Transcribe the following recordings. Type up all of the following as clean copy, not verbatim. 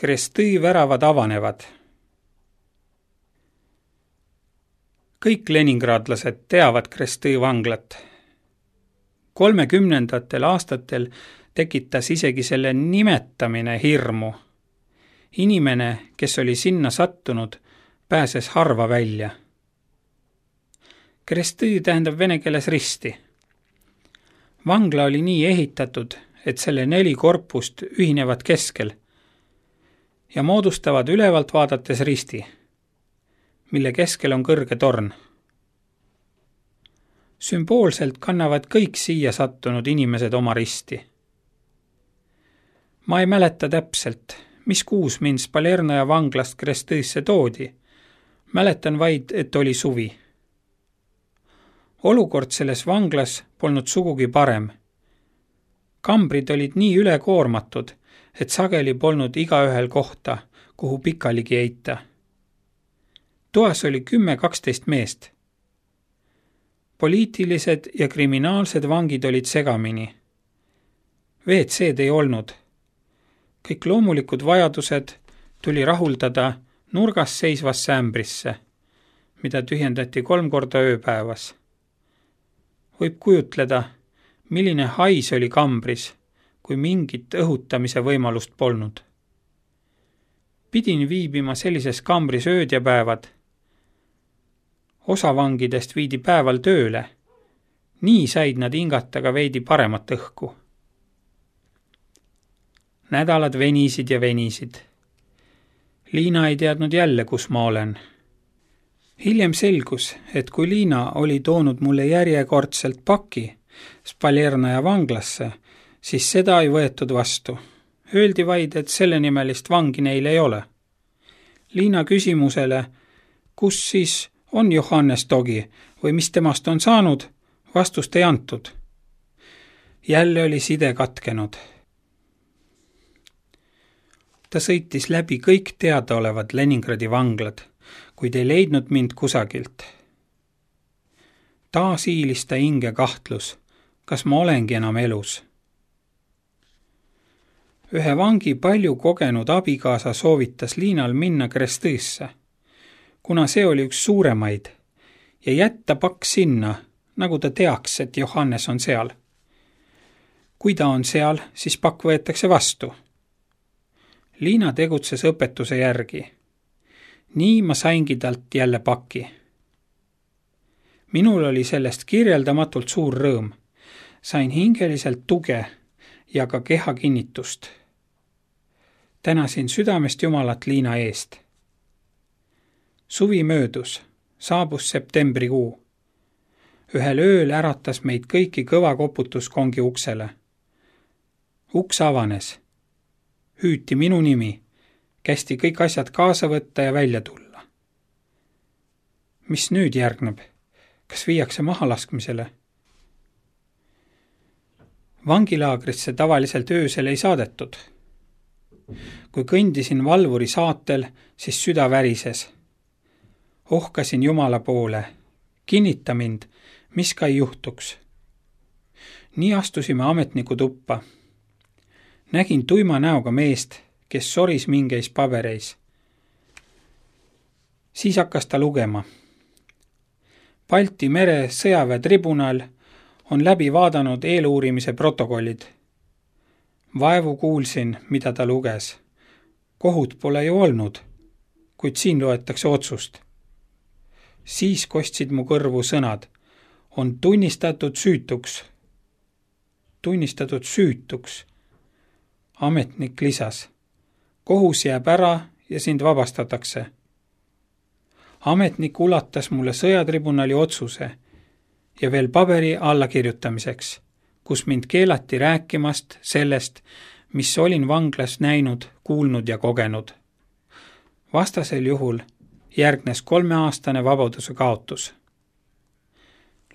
Krestõi väravad avanevad. Kõik leningradlased teavad Krestõi vanglat. 30. aastatel tekitas isegi selle nimetamine hirmu. Inimene, kes oli sinna sattunud, pääses harva välja. Krestõi tähendab vene keeles risti. Vangla oli nii ehitatud, et selle 4 korpust ühinevad keskel ja moodustavad ülevalt vaadates risti, mille keskel on kõrge torn. Sümboolselt kannavad kõik siia sattunud inimesed oma risti. Ma ei mäleta täpselt, mis kuus mind Spalernaja vanglast Krestõisse toodi. Mäletan vaid, et oli suvi. Olukord selles vanglas polnud sugugi parem. Kambrid olid nii ülekoormatud, et sageli polnud igaühel kohta, kuhu pikaligi heita. Toas oli 10-12 meest. Poliitilised ja kriminaalsed vangid olid segamini. WC-d ei olnud. Kõik loomulikud vajadused tuli rahuldada nurgas seisvasse ämbrisse, mida tühjendati 3 korda ööpäevas. Võib kujutleda, milline hais oli kambris, kui mingit õhutamise võimalust polnud. Pidin viibima sellises kambris ööd ja päevad. Osa vangidest viidi päeval tööle. Nii said nad hingata ka veidi paremat õhku. Nädalad venisid ja venisid. Liina ei teadnud jälle, kus ma olen. Hiljem selgus, et kui Liina oli toonud mulle järjekordselt paki Spalernaja vanglasse, siis seda ei võetud vastu. Öeldi vaid, et sellenimelist vangi neil ei ole. Liina küsimusele, kus siis on Johannes Togi või mis temast on saanud, vastust ei antud. Jälle oli side katkenud. Ta sõitis läbi kõik teadaolevad Leningradi vanglad, kuid ei leidnud mind kusagilt. Taas hiilis ta hinge kahtlus, kas ma olengi enam elus. Ühe vangi palju kogenud abikaasa soovitas Liinal minna Krestõisse, kuna see oli üks suuremaid, ja jätta pakk sinna, nagu ta teaks, et Johannes on seal. Kui ta on seal, siis pakk võetakse vastu. Liina tegutses õpetuse järgi. Nii ma saingi talt jälle paki. Minul oli sellest kirjeldamatult suur rõõm. Sain hingeliselt tuge ja ka keha kinnitust. Tänasin südamest Jumalat Liina eest. Suvi möödus, saabus septembrikuu. Ühel ööl äratas meid kõiki kõva koputus kongi uksele. Uks avanes. Hüüti minu nimi, kästi kõik asjad kaasa võtta ja välja tulla. Mis nüüd järgneb? Kas viiakse mahalaskmisele? Vangilaagrisse tavaliselt öösel ei saadetud. Kui kõndisin valvuri saatel, siis süda värises. Ohkasin Jumala poole. Kinnita mind, mis ka ei juhtuks. Nii astusime ametniku tuppa. Nägin tuima näoga meest, kes soris mingeis pabereis. Siis hakkas ta lugema. Balti mere sõjaväetribunal on läbi vaadanud eeluurimise protokollid. Vaevu kuulsin, mida ta luges. Kohut pole ju olnud, kuid siin loetakse otsust. Siis kostsid mu kõrvu sõnad. On tunnistatud süütuks. Tunnistatud süütuks. Ametnik lisas. Kohus jääb ära ja sind vabastatakse. Ametnik ulatas mulle sõjatribunali otsuse ja veel paberi allakirjutamiseks, kus mind keelati rääkimast sellest, mis olin vanglas näinud, kuulnud ja kogenud. Vastasel juhul järgnes 3-aastane vabaduse kaotus.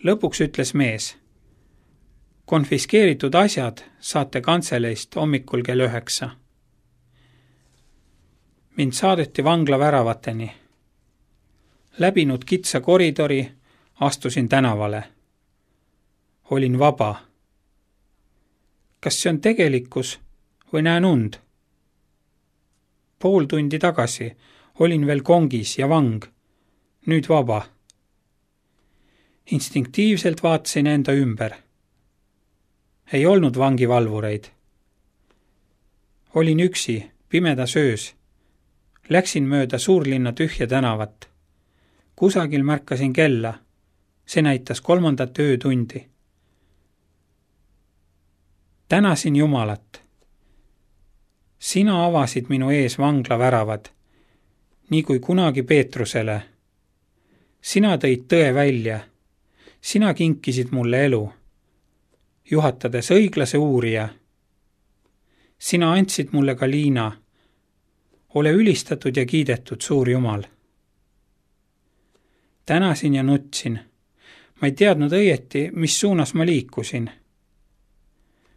Lõpuks ütles mees. Konfiskeeritud asjad saate kantseleist hommikul kell 9. Mind saadeti vangla väravateni. Läbinud kitsa koridori, astusin tänavale. Olin vaba. Kas see on tegelikkus või näen und? pool tundi tagasi olin veel kongis ja vang, nüüd vaba. Instinktiivselt vaatasin enda ümber. Ei olnud vangivalvureid. Olin üksi, pimedas öös. Läksin mööda suurlinna tühja tänavat. Kusagil märkasin kella. See näitas 3. öötundi. Tänasin Jumalat. Sina avasid minu ees vangla väravad, nii kui kunagi Peetrusele. Sina tõid tõe välja. Sina kinkisid mulle elu, juhatades õiglase uurija. Sina andsid mulle ka Liina. Ole ülistatud ja kiidetud, suur Jumal. Tänasin ja nutsin. Ma ei teadnud õieti, mis suunas ma liikusin.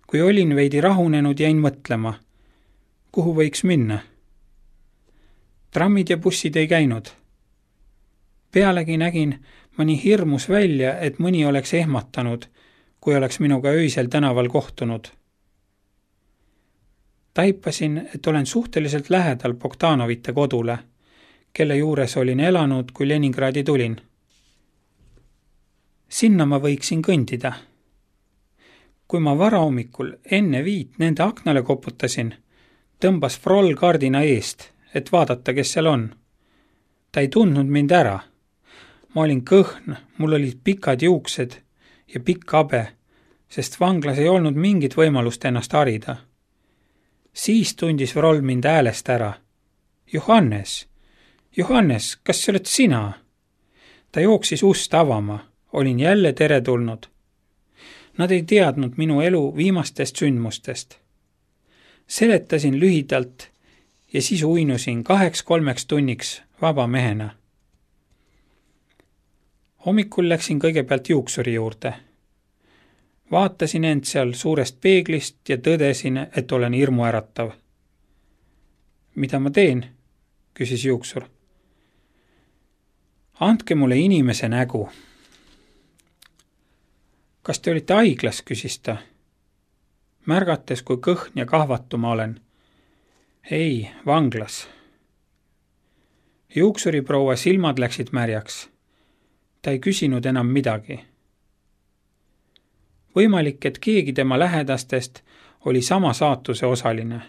Kui olin veidi rahunenud, jäin mõtlema, kuhu võiks minna. Trammid ja bussid ei käinud. Pealegi nägin ma nii hirmus välja, et mõni oleks ehmatanud, kui oleks minuga öisel tänaval kohtunud. Taipasin, et olen suhteliselt lähedal Bogdanovite kodule, kelle juures olin elanud, kui Leningradi tulin. Sinna ma võiksin kõndida. Kui ma varahommikul enne 5 nende aknale koputasin, tõmbas Froll kardina eest, et vaadata, kes seal on. Ta ei tundnud mind ära. Ma olin kõhn, mul olid pikad juuksed ja pikk habe, sest vanglas ei olnud mingit võimalust ennast harida. Siis tundis Froll mind häälest ära. Johannes, Johannes, kas see oled sina? Ta jooksis ust avama, olin jälle teretulnud. Nad ei teadnud minu elu viimastest sündmustest. Seletasin lühidalt ja siis uinusin 2-3 tunniks vaba mehena. Hommikul läksin kõigepealt juuksuri juurde. Vaatasin end seal suurest peeglist ja tõdesin, et olen hirmuäratav. Mida ma teen? Küsis juuksur. Andke mulle inimese nägu. Kas te olite haiglas, küsis ta. Märgates, kui kõhn ja kahvatu ma olen. Ei, vanglas. Juuksuri proua silmad läksid märjaks. Ta ei küsinud enam midagi. Võimalik, et keegi tema lähedastest oli sama saatuse osaline.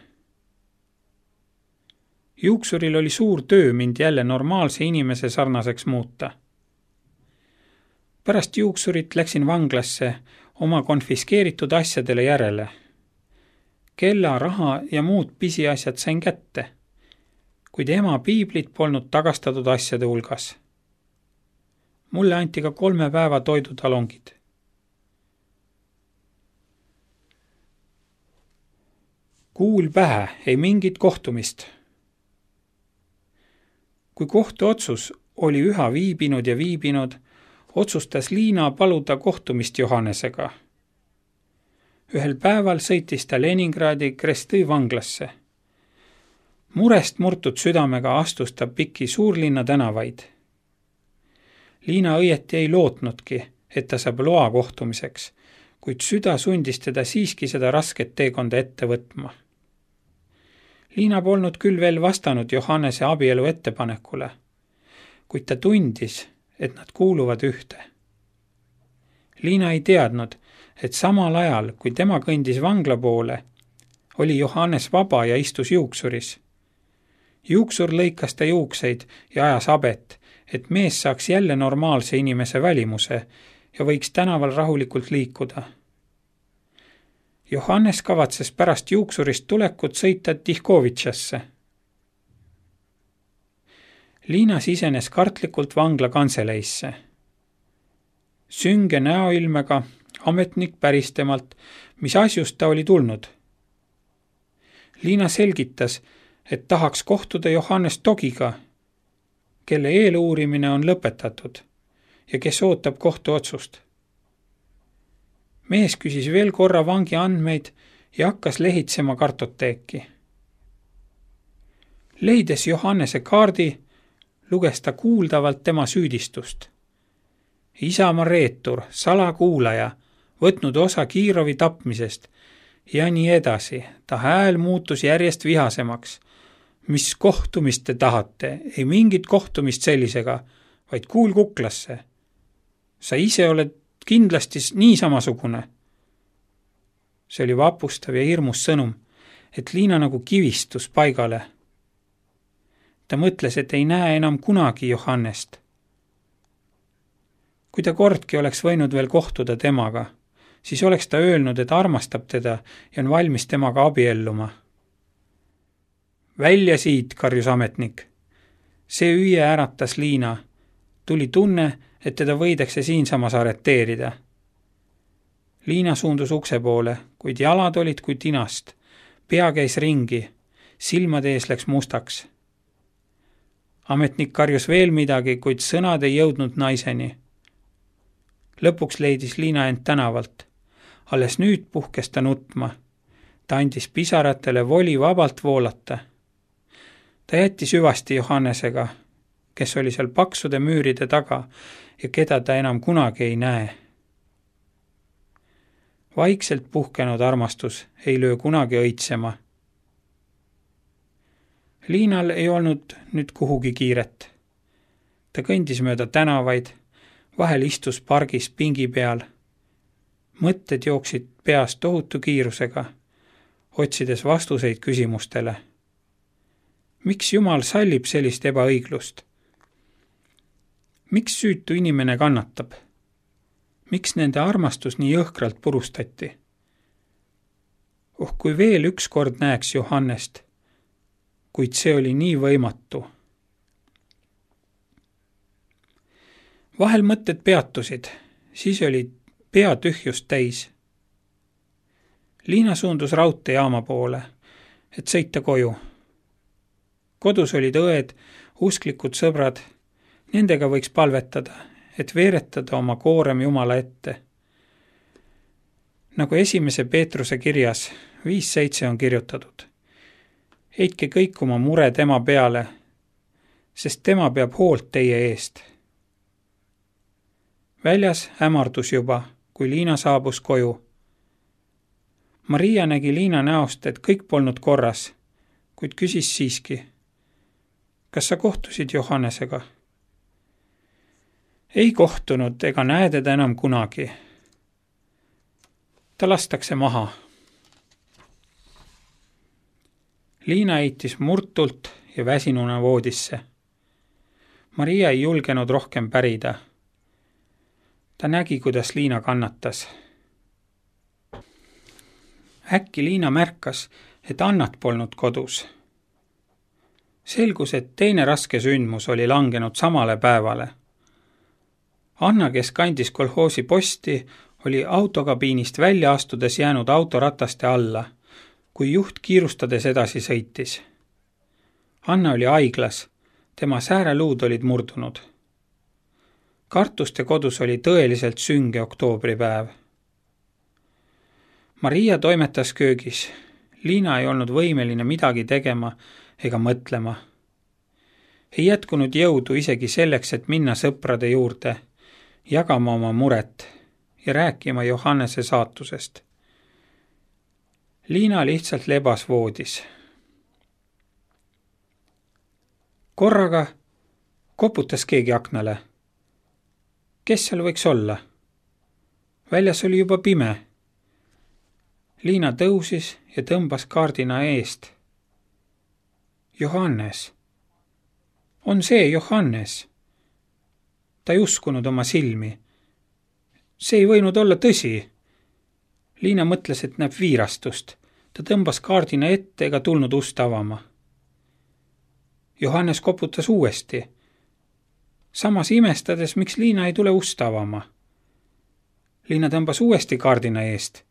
Juuksuril oli suur töö mind jälle normaalse inimese sarnaseks muuta. Pärast juuksurit läksin vanglasse oma konfiskeeritud asjadele järele. Kella, raha ja muud pisiasjad sain kätte, kuid ema piiblit polnud tagastatud asjade hulgas. Mulle anti ka 3 päeva toidutalongid. Kuul pähe, ei mingit kohtumist. Kui kohtuotsus oli üha viibinud, otsustas Liina paluda kohtumist Johannesega. Ühel päeval sõitis ta Leningradi Krestõ vanglasse. Murest murtud südamega astus ta pikki suurlinna tänavaid. Liina õieti ei lootnudki, et ta saab loa kohtumiseks, kuid süda sundis teda siiski seda rasket teekonda ette võtma. Liina polnud küll veel vastanud Johannese abielu ettepanekule, kuid ta tundis, et nad kuuluvad ühte. Liina ei teadnud, et samal ajal, kui tema kõndis vangla poole, oli Johannes vaba ja istus juuksuris. Juuksur lõikas ta juukseid ja ajas habet, et mees saaks jälle normaalse inimese välimuse ja võiks tänaval rahulikult liikuda. Johannes kavatses pärast juuksurist tulekut sõita Tihkovitšasse. Liina sisenes kartlikult vangla kanseleisse. Sünge näoilmega ametnik päris temalt, mis asjust ta oli tulnud. Liina selgitas, et tahaks kohtuda Johannes Togiga, kelle eeluurimine on lõpetatud ja kes ootab kohtuotsust. Mees küsis veel korra vangi andmeid ja hakkas lehitsema kartoteeki. Leides Johannese kaardi, luges ta kuuldavalt tema süüdistust. Isamaa reetur, salakuulaja, võtnud osa Kiirovi tapmisest ja nii edasi. Ta hääl muutus järjest vihasemaks. Mis kohtumist te tahate? Ei mingit kohtumist sellisega, vaid kuul kuklasse. Sa ise oled kindlasti nii samasugune. See oli vapustav ja hirmus sõnum, et Liina nagu kivistus paigale. Ta mõtles, et ei näe enam kunagi Johannest. Kui ta kordki oleks võinud veel kohtuda temaga, siis oleks ta öelnud, et armastab teda ja on valmis temaga abielluma. Välja siit, karjus ametnik. See hüüe äratas Liina. Tuli tunne, et teda võidakse siinsamas arreteerida. Liina suundus ukse poole, kuid jalad olid kui tinast. Pea käis ringi, silmade ees läks mustaks. Ametnik karjus veel midagi, kuid sõnad ei jõudnud naiseni. Lõpuks leidis Liina end tänavalt. Alles nüüd puhkes ta nutma. Ta andis pisaratele voli vabalt voolata. Ta jättis hüvasti Johannesega, kes oli seal paksude müüride taga ja keda ta enam kunagi ei näe. Vaikselt puhkenud armastus ei löö kunagi õitsema. Liinal ei olnud nüüd kuhugi kiiret. Ta kõndis mööda tänavaid, vahel istus pargis pingi peal. Mõtted jooksid peas tohutu kiirusega, otsides vastuseid küsimustele. Miks Jumal sallib sellist ebaõiglust? Miks süütu inimene kannatab? Miks nende armastus nii jõhkralt purustati? Kui veel üks kord näeks Johannest, kuid see oli nii võimatu. Vahel mõtted peatusid, siis oli pea tühjust täis. Liina suundus raudteejaama poole, et sõita koju. Kodus olid õed, usklikud sõbrad, nendega võiks palvetada, et veeretada oma koorem Jumala ette. Nagu 1. Peetruse kirjas 5.7 on kirjutatud. Heitke kõik oma mure tema peale, sest tema peab hoolt teie eest. Väljas hämardus juba, kui Liina saabus koju. Maria nägi Liina näost, et kõik polnud korras, kuid küsis siiski. Kas sa kohtusid Johannesega? Ei kohtunud ega näe teda enam kunagi. Ta lastakse maha. Liina heitis murtult ja väsinuna voodisse. Maria ei julgenud rohkem pärida. Ta nägi, kuidas Liina kannatas. Äkki Liina märkas, et Annat polnud kodus. Selgus, et teine raske sündmus oli langenud samale päevale. Anna, kes kandis kolhoosi posti, oli autokabiinist välja astudes jäänud autorataste alla, kui juht kiirustades edasi sõitis. Anna oli haiglas, tema sääreluud olid murdunud. Kartuste kodus oli tõeliselt sünge oktoobripäev. Maria toimetas köögis. Liina ei olnud võimeline midagi tegema ega mõtlema. Ei jätkunud jõudu isegi selleks, et minna sõprade juurde, jagama oma muret ja rääkima Johannese saatusest. Liina lihtsalt lebas voodis. Korraga koputas keegi aknale. Kes seal võiks olla? Väljas oli juba pime. Liina tõusis ja tõmbas kaardina eest. Johannes. On see Johannes? Ta ei uskunud oma silmi. See ei võinud olla tõsi. Liina mõtles, et näeb viirastust. Ta tõmbas kaardina ette ega tulnud ust avama. Johannes koputas uuesti. Samas imestades, miks Liina ei tule ust avama. Liina tõmbas uuesti kaardina eest.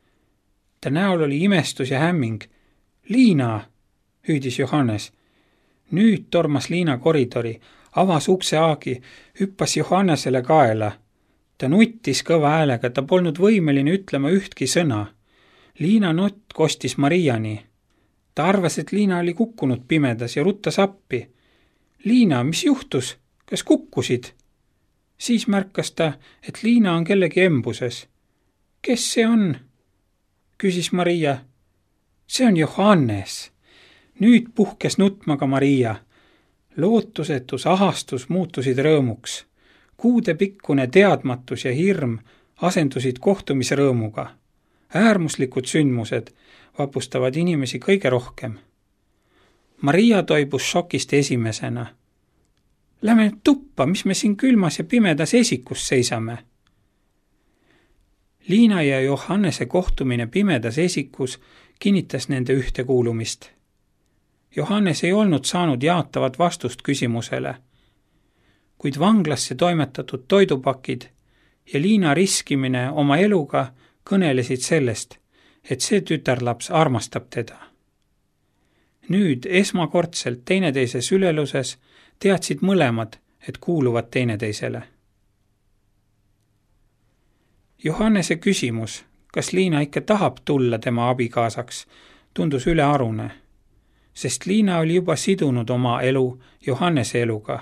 Ta näol oli imestus ja hämming. Liina, hüüdis Johannes. Nüüd tormas Liina koridori, avas ukse aagi, hüppas Johannesele kaela. Ta nuttis kõva häälega, ta polnud võimeline ütlema ühtki sõna. Liina nutt kostis Mariani. Ta arvas, et Liina oli kukkunud pimedas ja ruttas appi. Liina, mis juhtus? Kas kukkusid? Siis märkas ta, et Liina on kellegi embuses. Kes see on? Küsis Maria. See on Johannes. Nüüd puhkes nutma ka Maria. Lootusetus, ahastus muutusid rõõmuks. Kuudepikkune teadmatus ja hirm asendusid kohtumisrõõmuga. Äärmuslikud sündmused vapustavad inimesi kõige rohkem. Maria toibus šokist esimesena. Lähme tuppa, mis me siin külmas ja pimedas esikus seisame. Liina ja Johannese kohtumine pimedas esikus kinnitas nende ühtekuulumist. Johannes ei olnud saanud jaatavat vastust küsimusele, kuid vanglasse toimetatud toidupakid ja Liina riskimine oma eluga kõnelesid sellest, et see tütarlaps armastab teda. Nüüd esmakordselt teineteise süleluses teadsid mõlemad, et kuuluvad teineteisele. Johannese küsimus, kas Liina ikka tahab tulla tema abikaasaks, tundus ülearune, sest Liina oli juba sidunud oma elu Johannese eluga.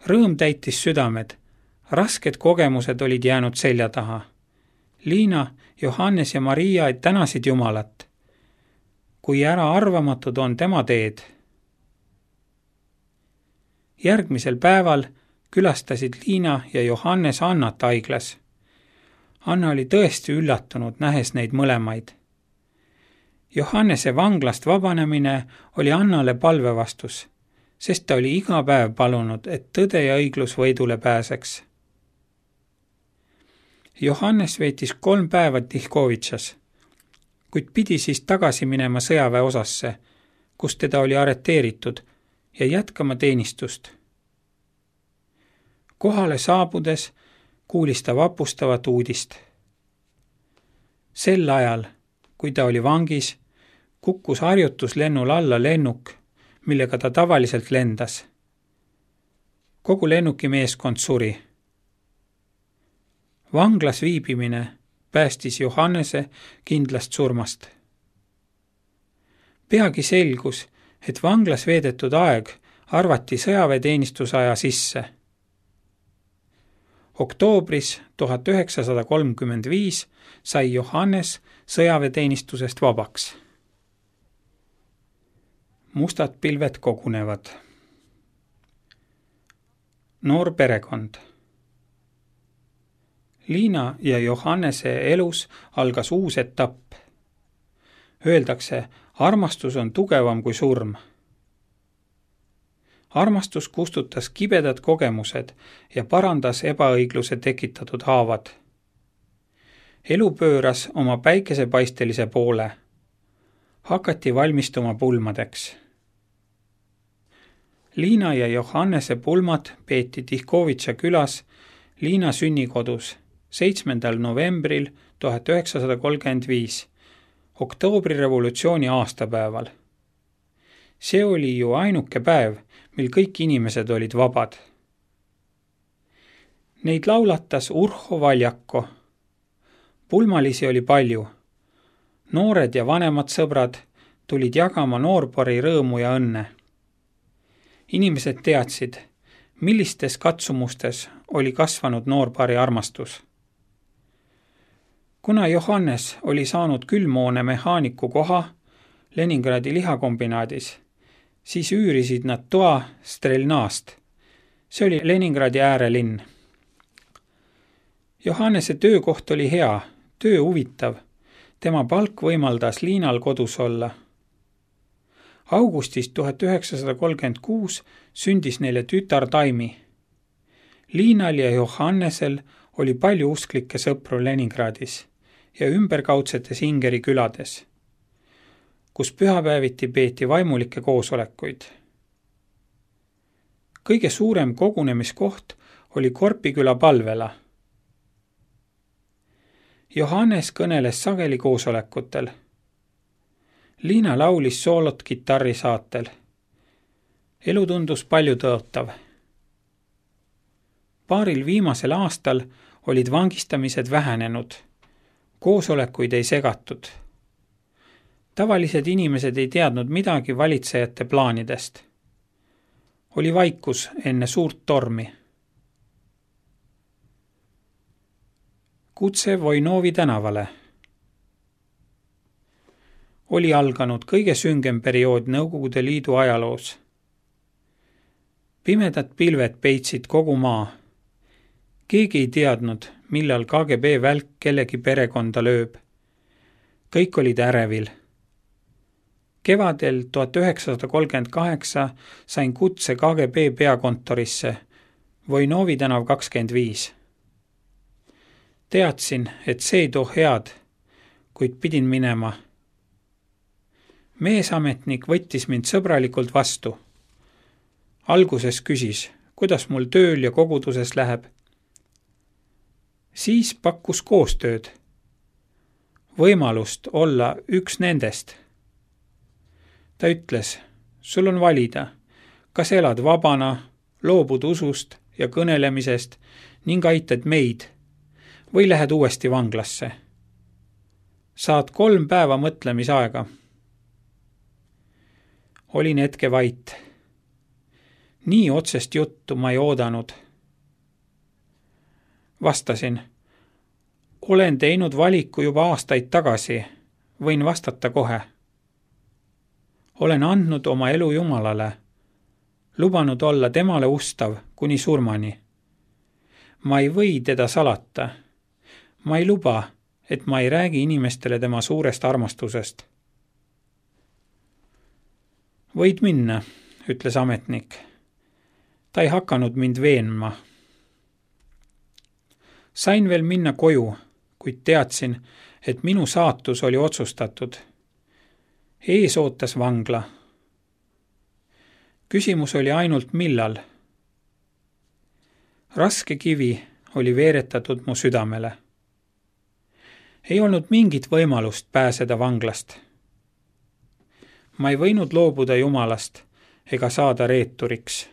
Rõõm täitis südamed, rasked kogemused olid jäänud selja taha. Liina, Johannes ja Maria tänasid Jumalat, kui äraarvamatud on tema teed. Järgmisel päeval külastasid Liina ja Johannes Annat haiglas. Anna oli tõesti üllatunud, nähes neid mõlemaid. Johannese vanglast vabanemine oli Annale palvevastus, sest ta oli iga päev palunud, et tõde ja õiglus võidule pääseks. Johannes veetis 3 päeva Tihkovitšas, kuid pidi siis tagasi minema sõjaväeosasse, kus teda oli arreteeritud ja jätkama teenistust. Kohale saabudes kuulis ta vapustavat uudist. Sel ajal, kui ta oli vangis, kukkus harjutuslennul alla lennuk, millega ta tavaliselt lendas. Kogu lennuki meeskond suri. Vanglas viibimine päästis Johannese kindlast surmast. Peagi selgus, et vanglas veedetud aeg arvati sõjaväeteenistusaja sisse. Oktoobris 1935 sai Johannes sõjaväeteenistusest vabaks. Mustad pilved kogunevad. Noor perekond. Liina ja Johannese elus algas uus etapp. Öeldakse, armastus on tugevam kui surm. Armastus kustutas kibedad kogemused ja parandas ebaõigluse tekitatud haavad. Elu pööras oma päikesepaistelise poole. Hakati valmistuma pulmadeks. Liina ja Johannese pulmad peeti Tihkovitša külas Liina sünnikodus 7. novembril 1935, oktoobrirevolutsiooni aastapäeval. See oli ju ainuke päev, mil kõik inimesed olid vabad. Neid laulatas Urho Valjako. Pulmalisi oli palju. Noored ja vanemad sõbrad tulid jagama noorpari rõõmu ja õnne. Inimesed teadsid, millistes katsumustes oli kasvanud noorpari armastus. Kuna Johannes oli saanud külmhoone mehaaniku koha Leningradi lihakombinaadis, siis üürisid nad toa Strelnast. See oli Leningradi äärelinn. Johannese töökoht oli hea, töö huvitav. Tema palk võimaldas Liinal kodus olla. Augustis 1936 sündis neile tütar Taimi. Liinal ja Johannesel oli palju usklikke sõpru Leningradis ja ümberkaudsetes Ingeri külades, kus pühapäeviti peeti vaimulikke koosolekuid. Kõige suurem kogunemiskoht oli Korpiküla palvela. Johannes kõneles sageli koosolekutel. Liina laulis soolot kitarri saatel. Elu tundus palju tõotav. Paaril viimasel aastal olid vangistamised vähenenud. Koosolekuid ei segatud. Tavalised inimesed ei teadnud midagi valitsejate plaanidest. Oli vaikus enne suurt tormi. Kutse Voinovi tänavale. oli alganud kõige süngem periood Nõukogude Liidu ajaloos. Pimedad pilved peitsid kogu maa. Keegi ei teadnud, millal KGB välk kellegi perekonda lööb. Kõik olid ärevil. Kevadel 1938 sain kutse KGB peakontorisse Vojnovi tänav 25. Teadsin, et see ei too head, kuid pidin minema. Meesametnik võttis mind sõbralikult vastu. Alguses küsis, kuidas mul tööl ja koguduses läheb. Siis pakkus koostööd. Võimalust olla üks nendest. Ta ütles, sul on valida, kas elad vabana, loobud usust ja kõnelemisest ning aitad meid või lähed uuesti vanglasse. Saad 3 päeva mõtlemisaega. Olin hetke vait. Nii otsest juttu ma ei oodanud. Vastasin, olen teinud valiku juba aastaid tagasi, võin vastata kohe. Olen andnud oma elu Jumalale, lubanud olla temale ustav kuni surmani. Ma ei või teda salata. Ma ei luba, et ma ei räägi inimestele tema suurest armastusest. Võid minna, ütles ametnik. Ta ei hakanud mind veenma. Sain veel minna koju, kuid teadsin, et minu saatus oli otsustatud. Ees ootas vangla. Küsimus oli ainult millal. Raske kivi oli veeretatud mu südamele. Ei olnud mingit võimalust pääseda vanglast. Ma ei võinud loobuda Jumalast ega saada reeturiks.